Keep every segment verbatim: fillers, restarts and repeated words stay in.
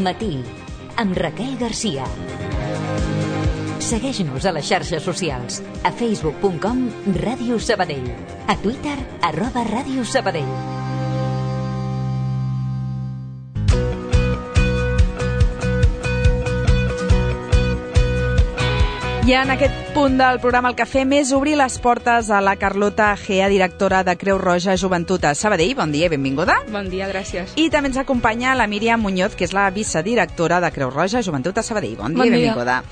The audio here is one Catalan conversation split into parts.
Matí, amb Raquel Garcia. Segueix-nos a les xarxes socials, a facebook punt com Ràdio Sabadell, a Twitter, arroba Ràdio Sabadell. I en aquest punt del programa el que fem és obrir les portes a la Carlota Gea, directora de Creu Roja Joventut a Sabadell. Bon dia i benvinguda. Bon dia, gràcies. I també ens acompanya la Míriam Muñoz, que és la vicedirectora de Creu Roja Joventut a Sabadell. Bon dia bon i dia. benvinguda.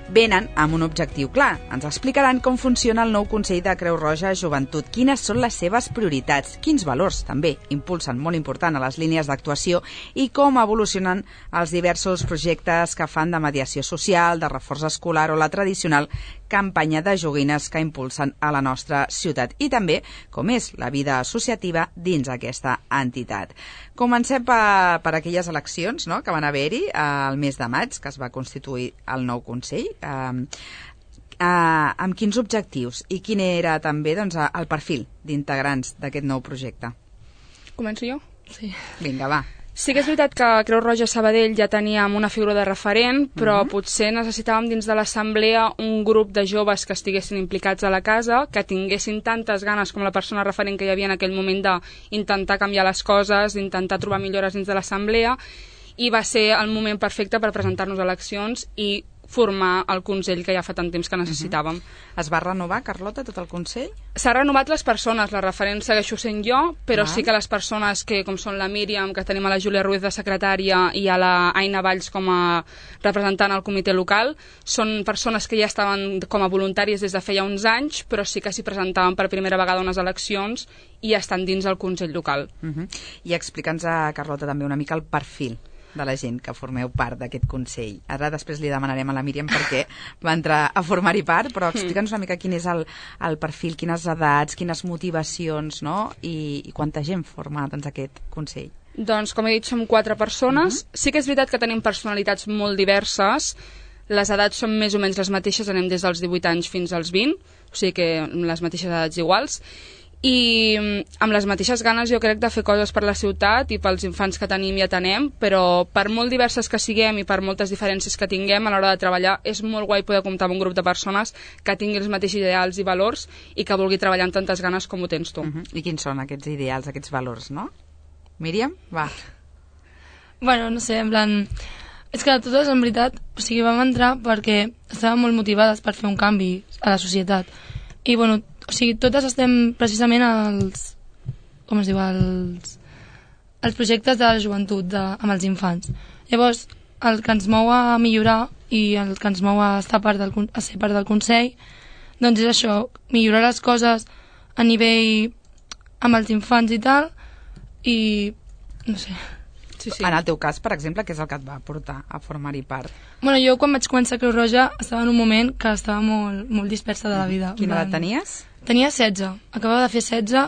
Venen amb un objectiu clar. Ens explicaran com funciona el nou Consell de Creu Roja Joventut, quines són les seves prioritats, quins valors també impulsen, molt important, a les línies d'actuació i com evolucionen els diversos projectes que fan de mediació social, de reforç escolar o la tradicional campanya de joguines que impulsen a la nostra ciutat i també com és la vida associativa dins aquesta entitat. Comencem per, per aquelles eleccions, no?, que van haver-hi al mes de maig, que es va constituir el nou Consell. Uh, uh, amb quins objectius i quin era també doncs, el perfil d'integrants d'aquest nou projecte? Començo jo? Sí. Vinga, va. Sí que és veritat que a Creu Roja Sabadell ja teníem una figura de referent, però Uh-huh. potser necessitàvem dins de l'assemblea un grup de joves que estiguessin implicats a la casa, que tinguessin tantes ganes com la persona referent que hi havia en aquell moment d'intentar canviar les coses, d'intentar trobar millores dins de l'assemblea, i va ser el moment perfecte per presentar-nos a eleccions i formar el Consell que ja fa tant temps que necessitàvem. Uh-huh. Es va renovar, Carlota, tot el Consell? S'ha renovat les persones, la referent segueixo sent jo, però Val. sí que les persones que, com són la Míriam, que tenim a la Júlia Ruiz de secretària i a la Aina Valls com a representant al comitè local, són persones que ja estaven com a voluntàries des de feia uns anys, però sí que s'hi presentaven per primera vegada a unes eleccions i estan dins el Consell local. Uh-huh. I explica'ns a Carlota també una mica el perfil de la gent que formeu part d'aquest Consell. Ara després li demanarem a la Míriam perquè va entrar a formar-hi part, però explica'ns una mica quin és el, el perfil, quines edats, quines motivacions, no?, i, i quanta gent forma doncs, aquest Consell. Doncs, com he dit, som quatre persones. Uh-huh. Sí que és veritat que tenim personalitats molt diverses. Les edats són més o menys les mateixes, anem des dels divuit anys fins als vint, o sigui que les mateixes edats iguals. I amb les mateixes ganes jo crec de fer coses per la ciutat i pels infants que tenim i atenem, però per molt diverses que siguem i per moltes diferències que tinguem a l'hora de treballar és molt guai poder comptar amb un grup de persones que tingui els mateixos ideals i valors i que vulgui treballar amb tantes ganes com ho tens tu. Uh-huh. I quins són aquests ideals, aquests valors, no? Míriam, va. Bueno, no sé, en plan... És que totes, en veritat, o sigui, vam entrar perquè estàvem molt motivades per fer un canvi a la societat. I, bueno, o sigui, totes estem precisament als... com es diu? als, als projectes de la joventut de, amb els infants. Llavors, el que ens mou a millorar i el que ens mou a, estar part del, a ser part del Consell, doncs és això, millorar les coses a nivell amb els infants i tal, i no sé... Sí, sí. En el teu cas, per exemple, què és el que et va portar a formar-hi part? Bueno, jo quan vaig començar a Creu Roja estava en un moment que estava molt, molt dispersa de la vida. Quina edat tenies? Tenia setze. Acabava de fer setze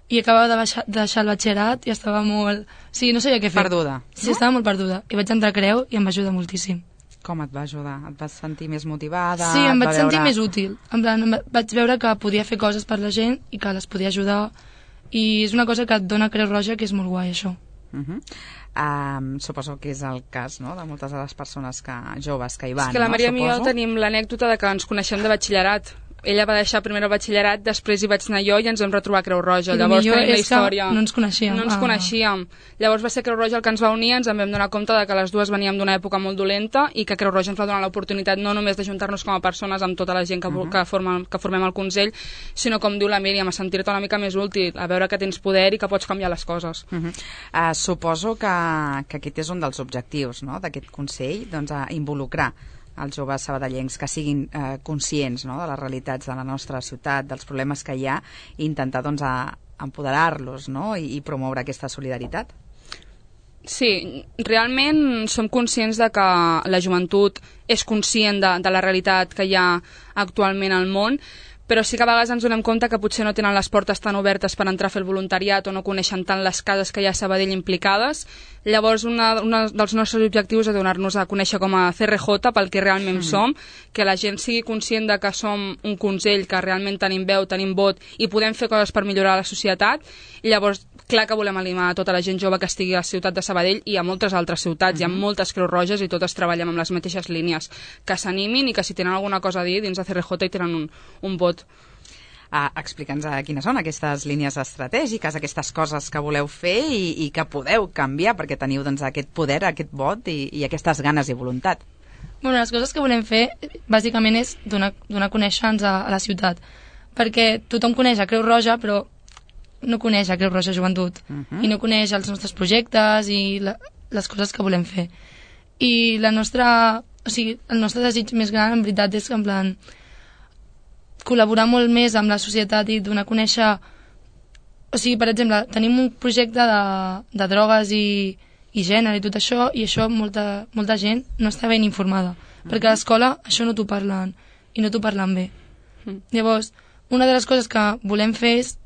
i acabava de baixar, de deixar el batxillerat i estava molt... Sí, no sabia què fer. Perduda. Sí, no? Estava molt perduda. I vaig entrar a Creu i em va ajudar moltíssim. Com et va ajudar? Et vas sentir més motivada? Sí, em vaig veure... sentir més útil. En plan, vaig veure que podia fer coses per la gent i que les podia ajudar. I és una cosa que et dona Creu Roja que és molt guai, això. Uh-huh. Um, suposo que és el cas, no?, de moltes de les persones que, joves que hi van. És que la Maria no? i jo tenim l'anècdota de que ens coneixem de batxillerat. Ella va deixar primer el batxillerat, després hi vaig anar jo i ens vam retrobar a Creu Roja. I Llavors millor tenim la és que història. no ens coneixíem. No ens Ah. coneixíem. Llavors va ser Creu Roja el que ens va unir, ens en vam donar compte de que les dues veníem d'una època molt dolenta i que Creu Roja ens va donar l'oportunitat no només d'ajuntar-nos com a persones amb tota la gent que, uh -huh. que, forma, que formem el Consell, sinó, com diu la Míriam, a sentir-te una mica més útil, a veure que tens poder i que pots canviar les coses. Uh -huh. uh, suposo que, que aquest és un dels objectius, no?, d'aquest Consell, doncs a involucrar els joves sabadellencs que siguin eh, conscients, no?, de les realitats de la nostra ciutat, dels problemes que hi ha, i intentar doncs, a empoderar-los, no?, i, i promoure aquesta solidaritat. Sí, realment som conscients de que la joventut és conscient de, de la realitat que hi ha actualment al món, però sí que a vegades ens donem compte que potser no tenen les portes tan obertes per entrar a fer el voluntariat o no coneixen tant les cases que hi ha a Sabadell implicades. Llavors, un dels nostres objectius és donar-nos a conèixer com a C R J pel que realment mm. som, que la gent sigui conscient de que som un consell, que realment tenim veu, tenim vot i podem fer coses per millorar la societat. I llavors, clar que volem animar tota la gent jove que estigui a la ciutat de Sabadell i a moltes altres ciutats, uh-huh. Hi ha moltes Creus Roges i totes treballem amb les mateixes línies, que s'animin i que si tenen alguna cosa a dir dins de C R J i tenen un, un vot. Uh, Explica'ns uh, quines són aquestes línies estratègiques, aquestes coses que voleu fer i, i que podeu canviar perquè teniu doncs, aquest poder, aquest vot i, i aquestes ganes i voluntat. Bueno, les coses que volem fer bàsicament és donar, donar a conèixer-nos a, a la ciutat, perquè tothom coneix a Creu Roja però no coneix a Creu Roja Joventut uh-huh. i no coneix els nostres projectes i la, les coses que volem fer. I la nostra, o sigui, el nostre desig més gran en veritat és que en plan col·laborar molt més amb la societat i donar a conèixer, o sigui, per exemple, tenim un projecte de, de drogues i, i gènere i tot això, i això molta, molta gent no està ben informada, mm. perquè a l'escola això no t'ho parlen, i no t'ho parlen bé. Mm. Llavors, una de les coses que volem fer és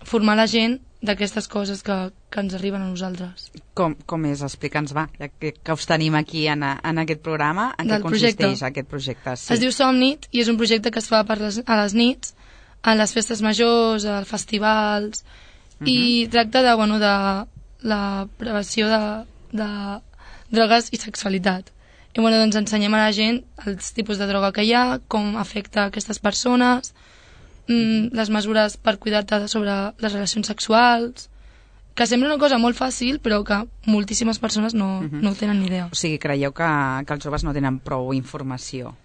formar la gent d'aquestes coses que, que ens arriben a nosaltres. Com, com és? Explica'ns, va, ja que, que us tenim aquí en, a, en aquest programa, en què consisteix projecte. aquest projecte? Sí. Es diu Somnit i és un projecte que es fa per les, a les nits, a les festes majors, als festivals, uh-huh. i tracta de, bueno, de la prevenció de, de drogues i sexualitat. I bueno, doncs ensenyem a la gent els tipus de droga que hi ha, com afecta aquestes persones, mm, les mesures per cuidar-te sobre les relacions sexuals, que sembla una cosa molt fàcil, però que moltíssimes persones no, uh-huh. no ho tenen ni idea. O sigui, creieu que, que els joves no tenen prou informació?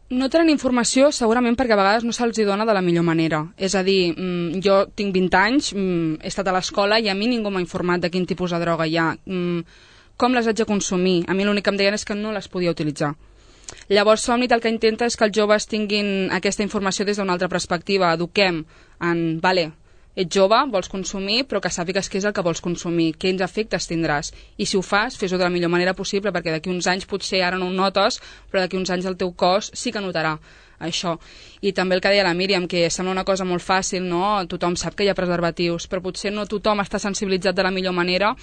No tenen informació segurament perquè a vegades no se'ls dona de la millor manera. És a dir, jo tinc vint anys, he estat a l'escola i a mi ningú m'ha informat de quin tipus de droga hi ha, com les haig de consumir. A mi l'únic que em deien és que no les podia utilitzar. Llavors Somnit el que intenta és que els joves tinguin aquesta informació des d'una altra perspectiva. Eduquem en, vale, ets jove, vols consumir, però que sàpigues què és el que vols consumir, quins efectes tindràs. I si ho fas, fes-ho de la millor manera possible, perquè d'aquí uns anys potser ara no ho notes, però d'aquí uns anys el teu cos sí que notarà això. I també el que deia la Míriam, que sembla una cosa molt fàcil, no? Tothom sap que hi ha preservatius, però potser no tothom està sensibilitzat de la millor manera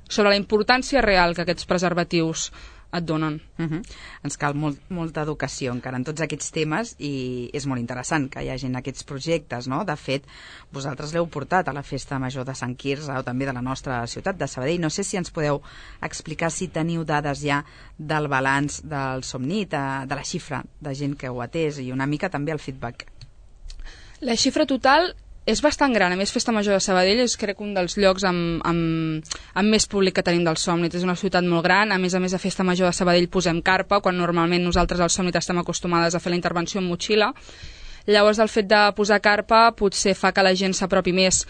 sobre la importància real que aquests preservatius et donen. Uh-huh. Ens cal molt, molta educació encara en tots aquests temes i és molt interessant que hi hagin aquests projectes, no? De fet, vosaltres l'heu portat a la Festa Major de Sant Quirze o també de la nostra ciutat de Sabadell. No sé si ens podeu explicar si teniu dades ja del balanç del Somnit, de la xifra de gent que ho ha atès i una mica també el feedback. La xifra total és bastant gran. A més, Festa Major de Sabadell és, crec, un dels llocs amb, amb, amb més públic que tenim del Somnit. És una ciutat molt gran. A més a més, a Festa Major de Sabadell posem carpa, quan normalment nosaltres al Somnit estem acostumades a fer la intervenció en motxilla. Llavors, el fet de posar carpa potser fa que la gent s'apropi més.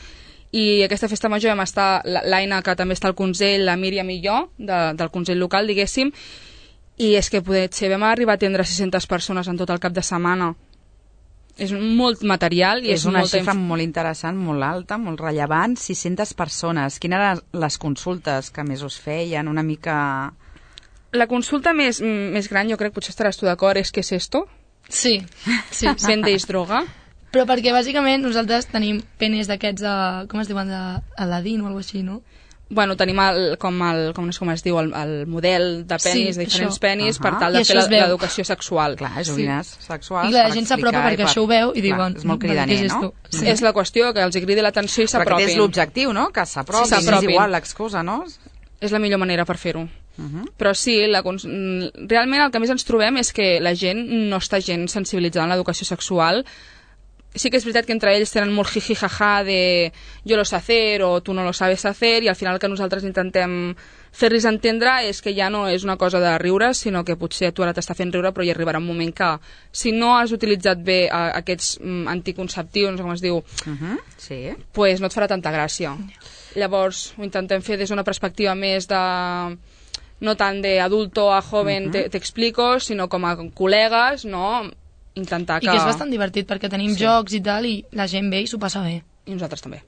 I aquesta Festa Major vam estar, l'Aina, que també està al Consell, la Míriam i jo, de, del Consell local, diguéssim, i és que potser vam arribar a atendre sis-centes persones en tot el cap de setmana. És molt material i és, és una molta xifra inf... molt interessant, molt alta, molt rellevant, sis-centes persones. Quines eren les consultes que més us feien? Una mica... La consulta més, més gran, jo crec, potser estaràs tu d'acord, és què és esto? Sí, sí. Vendeix droga? Però perquè bàsicament nosaltres tenim penes d'aquests, de, com es diuen, d'Aladín o alguna cosa així, no? Bueno, tenim el, com, el, com, com es diu, el, el model de penis, sí, de diferents això. penis, uh-huh. per tal de I fer l'educació sexual. Clar, joguines sí. sexuals. I la gent s'apropa perquè per... això ho veu i diuen... És molt cridaner, no? Sí. És la qüestió, que els cridi l'atenció i s'apropin. Perquè és l'objectiu, no? Que s'apropin, sí, és igual l'excusa, no? És la millor manera per fer-ho. Uh-huh. Però sí, la, realment el que més ens trobem és que la gent no està gens sensibilitzada en l'educació sexual. Sí que és veritat que entre ells tenen molt jiji jaja de yo lo sé hacer o tu no lo sabes hacer, i al final el que nosaltres intentem fer-los entendre és que ja no és una cosa de riure, sinó que potser tu ara t'està fent riure, però hi arribarà un moment que si no has utilitzat bé a, aquests mm, anticonceptius, com es diu, uh-huh. sí. pues no et farà tanta gràcia. Llavors ho intentem fer des d'una perspectiva més de... no tant d'adulto a joven uh-huh. t'explico, sinó com a col·legues, no? Intentar que... I que és bastant divertit perquè tenim sí. jocs i tal i la gent ve i s'ho passa bé. I nosaltres també.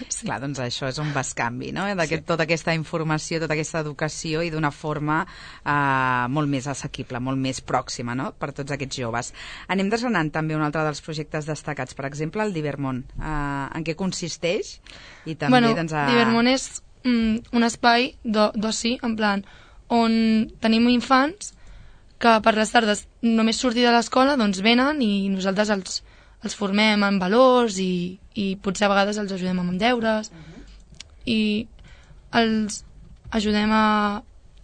Sí. Clar, doncs això és un bescanvi, no? D'aquest, sí. Tota aquesta informació, tota aquesta educació i d'una forma eh, molt més assequible, molt més pròxima, no? Per tots aquests joves. Anem desgranant també un altre dels projectes destacats, per exemple, el Divermont. Eh, en què consisteix? I també, bueno, doncs, a... Divermont és mm, un espai d'oci, en plan, on tenim infants que per les tardes només sortir de l'escola doncs venen i nosaltres els, els formem en valors i, i potser a vegades els ajudem amb deures uh-huh. i els ajudem a...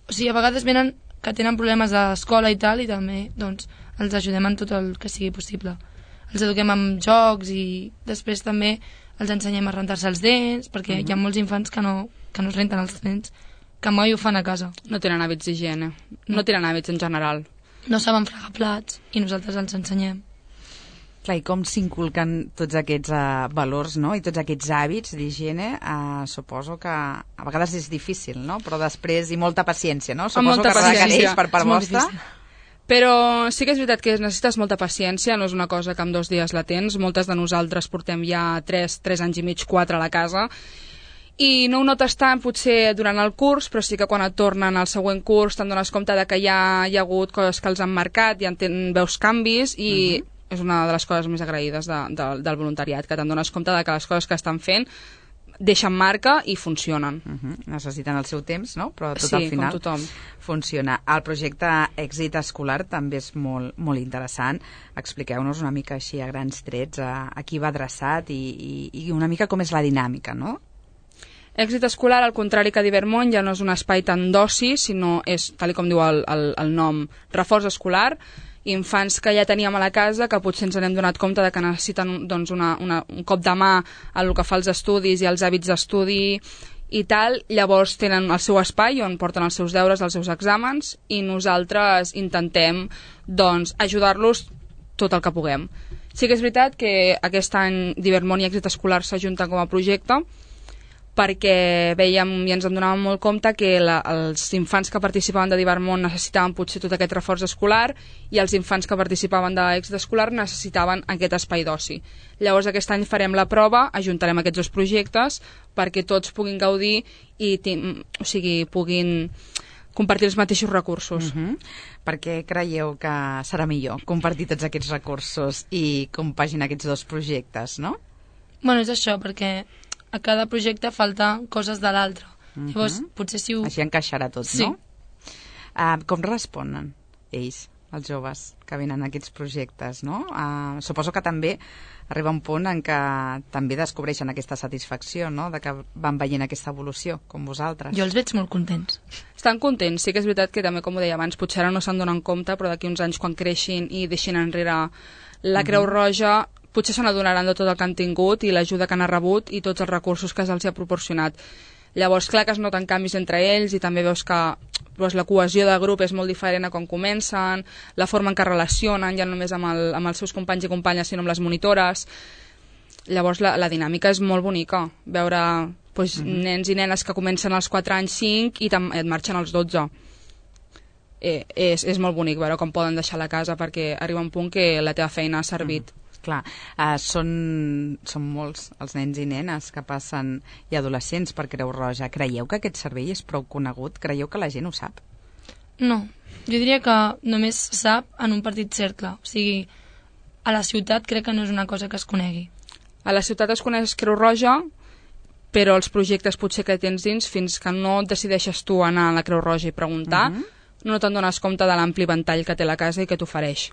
O sigui, a vegades venen que tenen problemes d'escola i tal, i també doncs, els ajudem en tot el que sigui possible. Els eduquem amb jocs i després també els ensenyem a rentar-se els dents, perquè uh-huh. hi ha molts infants que no, que no es renten els dents, que mai ho fan a casa. No tenen hàbits d'higiene, no. no tenen hàbits en general. No saben fregar plats i nosaltres els ensenyem. Clar, i com s'inculquen tots aquests uh, valors, no?, i tots aquests hàbits d'higiene, uh, suposo que a vegades és difícil, no?, però després, i molta paciència, no?, suposo que requereix per part vostra. Però sí que és veritat que necessites molta paciència, no és una cosa que en dos dies la tens. Moltes de nosaltres portem ja tres, tres anys i mig, quatre a la casa, i no ho notes tant potser durant el curs, però sí que quan et tornen al següent curs te'n dones compte de que ja hi ha hagut coses que els han marcat, ja en veus canvis, i uh-huh. és una de les coses més agraïdes de, de, del voluntariat, que te'n dones compte de que les coses que estan fent deixen marca i funcionen. Uh-huh. Necessiten el seu temps, no? Però tot sí, al final com tothom. Funciona. El projecte Èxit Escolar també és molt, molt interessant. Expliqueu-nos una mica així a grans trets a, a qui va adreçat i, i, i una mica com és la dinàmica, no? Èxit Escolar, al contrari que Divermont, ja no és un espai tan d'oci, sinó és, tal com diu el, el, el nom, reforç escolar, infants que ja teníem a la casa, que potser ens n'hem donat compte de que necessiten doncs, una, una, un cop de mà a el que fa els estudis i els hàbits d'estudi i tal, llavors tenen el seu espai on porten els seus deures, els seus exàmens, i nosaltres intentem doncs, ajudar-los tot el que puguem. Sí que és veritat que aquest any Divermont i Èxit Escolar s'ajunten com a projecte, perquè veiem i ens en donàvem molt compte que la, els infants que participaven de Divermont necessitaven potser tot aquest reforç escolar i els infants que participaven d'Èxit Escolar necessitaven aquest espai d'oci. Llavors aquest any farem la prova, ajuntarem aquests dos projectes perquè tots puguin gaudir i o sigui, puguin compartir els mateixos recursos. Uh-huh. Per què creieu que serà millor compartir tots aquests recursos i compaginar aquests dos projectes, no? Bueno, és això, perquè a cada projecte falta coses de l'altre. Uh-huh. Llavors, potser si ho... Així encaixarà tot, sí. no? Uh, com responen ells, els joves que venen a aquests projectes, no? Uh, suposo que també arriba un punt en què també descobreixen aquesta satisfacció, no?, de que van veient aquesta evolució, com vosaltres. Jo els veig molt contents. Estan contents, sí que és veritat que també, com ho deia abans, potser ara no se'n donen compte, però d'aquí uns anys quan creixin i deixin enrere la Creu uh-huh. Roja, potser se n'adonaran de tot el que han tingut i l'ajuda que han rebut i tots els recursos que se'ls ha proporcionat. Llavors, clar que es noten canvis entre ells i també veus que doncs, la cohesió de grup és molt diferent a quan comencen, la forma en què relacionen, ja no només amb, el, amb els seus companys i companyes, sinó amb les monitores. Llavors, la, la dinàmica és molt bonica. Veure doncs, uh-huh. nens i nenes que comencen als quatre anys, cinc i et marxen als dotze. Eh, és, és molt bonic veure com poden deixar la casa perquè arriba un punt que la teva feina ha servit. Uh-huh. Clar, uh, són, són molts els nens i nenes que passen i adolescents per Creu Roja. Creieu que aquest servei és prou conegut? Creieu que la gent ho sap? No, jo diria que només sap en un petit cercle. O sigui, a la ciutat crec que no és una cosa que es conegui. A la ciutat es coneix Creu Roja, però els projectes potser que tens dins, fins que no decideixes tu anar a la Creu Roja i preguntar, uh-huh. no te'n dones compte de l'ampli ventall que té la casa i que t'ofereix.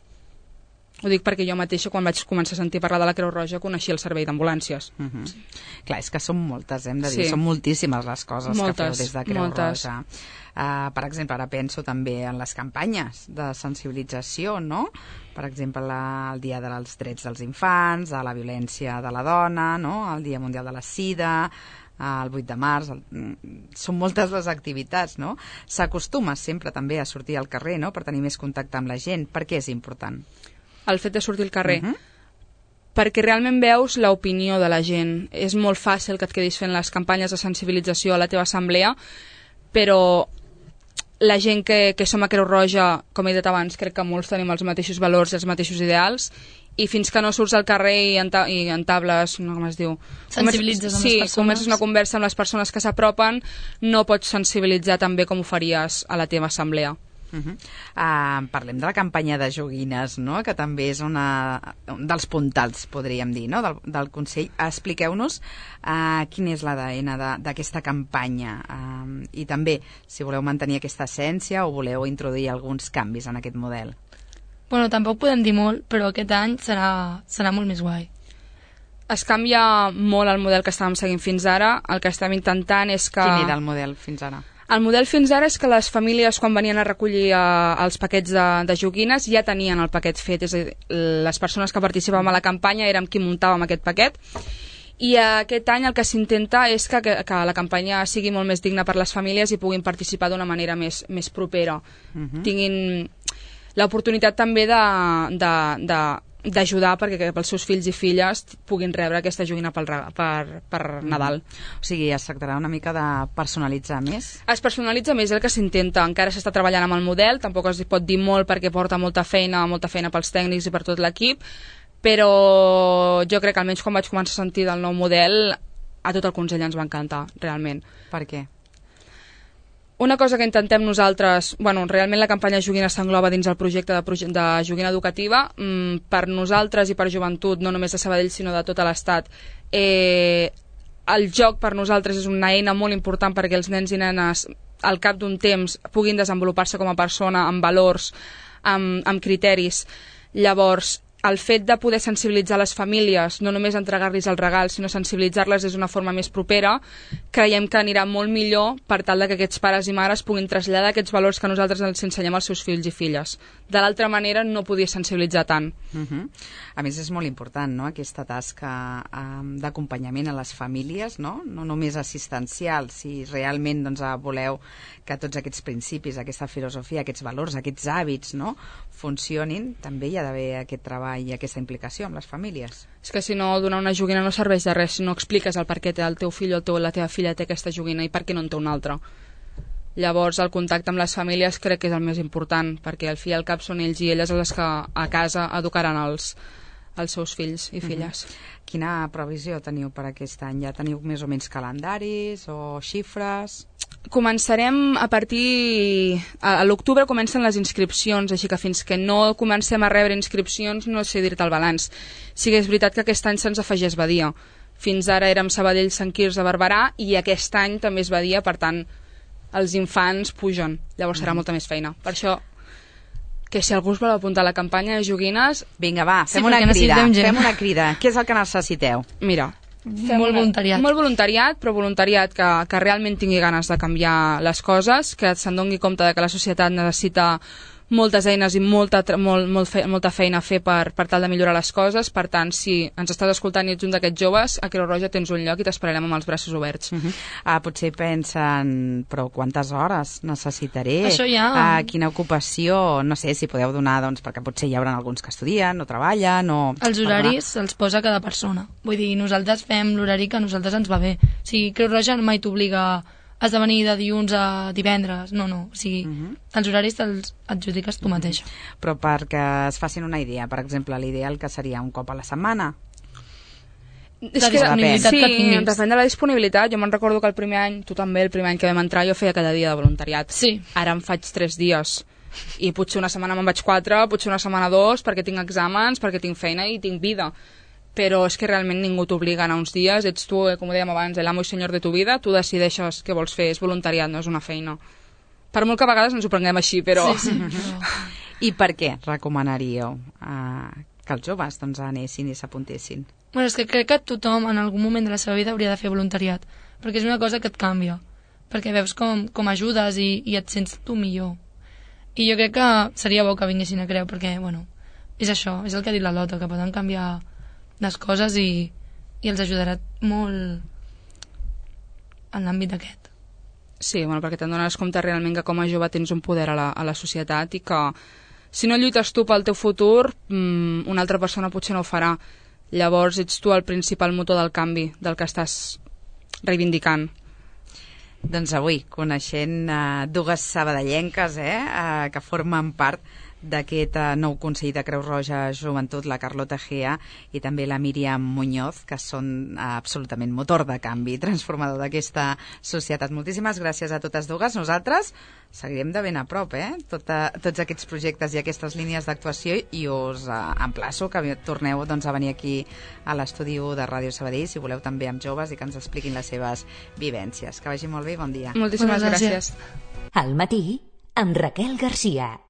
Ho dic perquè jo mateixa, quan vaig començar a sentir parlar de la Creu Roja, coneixia el servei d'ambulàncies. Uh-huh. Sí. Clar, és que són moltes, hem de dir, sí. són moltíssimes les coses moltes, que feu des de Creu moltes. Roja. Uh, per exemple, ara penso també en les campanyes de sensibilització, no? Per exemple, la, el Dia dels Drets dels Infants, a la violència de la dona, no? El Dia Mundial de la Sida, el vuit de març, el... són moltes les activitats, no? S'acostuma sempre també a sortir al carrer, no?, per tenir més contacte amb la gent. Per què és important? El fet de sortir al carrer, uh-huh. perquè realment veus l'opinió de la gent. És molt fàcil que et quedis fent les campanyes de sensibilització a la teva assemblea, però la gent que, que som a Creu Roja, com he dit abans, crec que molts tenim els mateixos valors i els mateixos ideals, i fins que no surts al carrer i, enta i entables, no, com es diu? Sensibilitzes amb sí, les persones. comences una conversa amb les persones que s'apropen, no pots sensibilitzar tan bé com ho faries a la teva assemblea. Uh-huh. Uh, parlem de la campanya de joguines, no?, que també és una, un dels puntals, podríem dir, no?, del, del Consell. Expliqueu-nos uh, quin és l'A D N d'aquesta campanya uh, i també si voleu mantenir aquesta essència o voleu introduir alguns canvis en aquest model. Bueno, tampoc podem dir molt, però aquest any serà, serà molt més guai. es canvia molt el model que estàvem seguint fins ara. El que estem intentant és que... Quin era el model fins ara? El model fins ara és que les famílies, quan venien a recollir eh, els paquets de, de joguines, ja tenien el paquet fet. És a dir, les persones que participàvem a la campanya érem qui muntàvem aquest paquet. I aquest any el que s'intenta és que, que, que la campanya sigui molt més digna per les famílies i puguin participar d'una manera més, més propera. Uh-huh. Tinguin l'oportunitat també de... de, de d'ajudar perquè pels seus fills i filles puguin rebre aquesta joguina per, per, per Nadal. O sigui, es tractarà una mica de personalitzar més? Es personalitza més el que s'intenta. Encara s'està treballant amb el model, tampoc es pot dir molt perquè porta molta feina, molta feina pels tècnics i per tot l'equip, però jo crec que almenys quan vaig començar a sentir del nou model, a tot el Consell ens va encantar, realment. Per què? Una cosa que intentem nosaltres, bueno, realment la campanya Joguina s'engloba dins el projecte de, proje de joguina educativa, mm, per nosaltres i per joventut, no només de Sabadell sinó de tot l'Estat, eh, el joc per nosaltres és una eina molt important perquè els nens i nenes al cap d'un temps puguin desenvolupar-se com a persona amb valors, amb, amb criteris. Llavors, el fet de poder sensibilitzar les famílies, no només entregar-los el regal, sinó sensibilitzar-les és una forma més propera, creiem que anirà molt millor per tal que aquests pares i mares puguin traslladar aquests valors que nosaltres els ensenyem als seus fills i filles. De l'altra manera no podia sensibilitzar tant. Uh-huh. A més és molt important, no?, aquesta tasca um, d'acompanyament a les famílies, no? No només assistencial, si realment doncs, voleu que tots aquests principis, aquesta filosofia, aquests valors, aquests hàbits, no?, funcionin, també hi ha d'haver aquest treball i aquesta implicació amb les famílies. És que si no, donar una joguina no serveix de res si no expliques el per què el teu fill o el teu, la teva filla té aquesta joguina i per què no en té una altra. Llavors el contacte amb les famílies crec que és el més important, perquè al fi i al cap són ells i elles les que a casa educaran els, els seus fills i filles. Mm-hmm. Quina previsió teniu per aquest any? Ja teniu més o menys calendaris o xifres? Començarem a partir... A, a l'octubre comencen les inscripcions, així que fins que no comencem a rebre inscripcions no sé dir-te el balanç. Sí que és veritat que aquest any se'ns afegeix Badia. Fins ara érem Sabadell, Sant Quirze, Barberà i aquest any també és Badia, per tant els infants pugen, llavors serà mm. molta més feina. Per això, que si algú us vol apuntar a la campanya de joguines... Vinga, va, fem sí, una crida, fem una crida. Què és el que necessiteu? Mira, fem molt una, voluntariat. Molt voluntariat, però voluntariat que, que realment tingui ganes de canviar les coses, que se'n doni compte de que la societat necessita moltes eines i molta, molt, molt fe, molta feina a fer per, per tal de millorar les coses. Per tant, si ens estàs escoltant i ets un d'aquests joves, a Creu Roja tens un lloc i t'esperarem amb els braços oberts. Uh-huh. ah, potser pensen, però quantes hores necessitaré? Això ja... Ah, quina ocupació? No sé si podeu donar, doncs, perquè potser hi haurà alguns que estudien o treballen o... Els horaris els posa cada persona. Vull dir, nosaltres fem l'horari que a nosaltres ens va bé. O sigui, Creu Roja mai t'obliga... has de venir de dilluns a divendres, no, no, o sigui, uh-huh. els horaris te'ls adjudiques tu mateixa. Uh-huh. Però perquè es facin una idea, per exemple, l'ideal que seria un cop a la setmana? És que disponibilitat sí, que depèn de la disponibilitat. Jo me'n recordo que el primer any, tu també, el primer any que vam entrar, jo feia cada dia de voluntariat. Sí. Ara em faig tres dies. I potser una setmana me'n vaig quatre, potser una setmana dos, perquè tinc exàmens, perquè tinc feina i tinc vida. Però és que realment ningú t'obliga a anar uns dies, ets tu, com dèiem abans, l'amo i senyor de tu vida, tu decideixes què vols fer, és voluntariat, no és una feina. Per molt que a vegades ens ho prenguem així, però... Sí, sí. I per què recomanaríeu uh, que els joves doncs, anessin i s'apuntessin? Bueno, és que crec que tothom en algun moment de la seva vida hauria de fer voluntariat, perquè és una cosa que et canvia, perquè veus com, com ajudes i, i et sents tu millor. I jo crec que seria bo que vinguessin a Creu, perquè, bueno, és això, és el que ha dit la Lota, que poden canviar les coses i, i els ajudarà molt en l'àmbit aquest. Sí, bueno, perquè te'n dones compte realment que com a jove tens un poder a la, a la societat i que si no lluites tu pel teu futur, mmm, una altra persona potser no ho farà. Llavors ets tu el principal motor del canvi, del que estàs reivindicant. Doncs avui, coneixent uh, dues sabadellenques eh, uh, que formen part d'aquest uh, nou Consell de Creu Roja Joventut, la Carlota Gea i també la Míriam Muñoz, que són uh, absolutament motor de canvi, transformador d'aquesta societat. Moltíssimes gràcies a totes dues. Nosaltres seguirem de ben a prop, eh? Tota, tots aquests projectes i aquestes línies d'actuació i us uh, emplaço que torneu doncs, a venir aquí a l'estudi de Ràdio Sabadell, si voleu també amb joves i que ens expliquin les seves vivències. Que vagi molt bé i bon dia. Moltíssimes gràcies. Al matí, amb Raquel Garcia.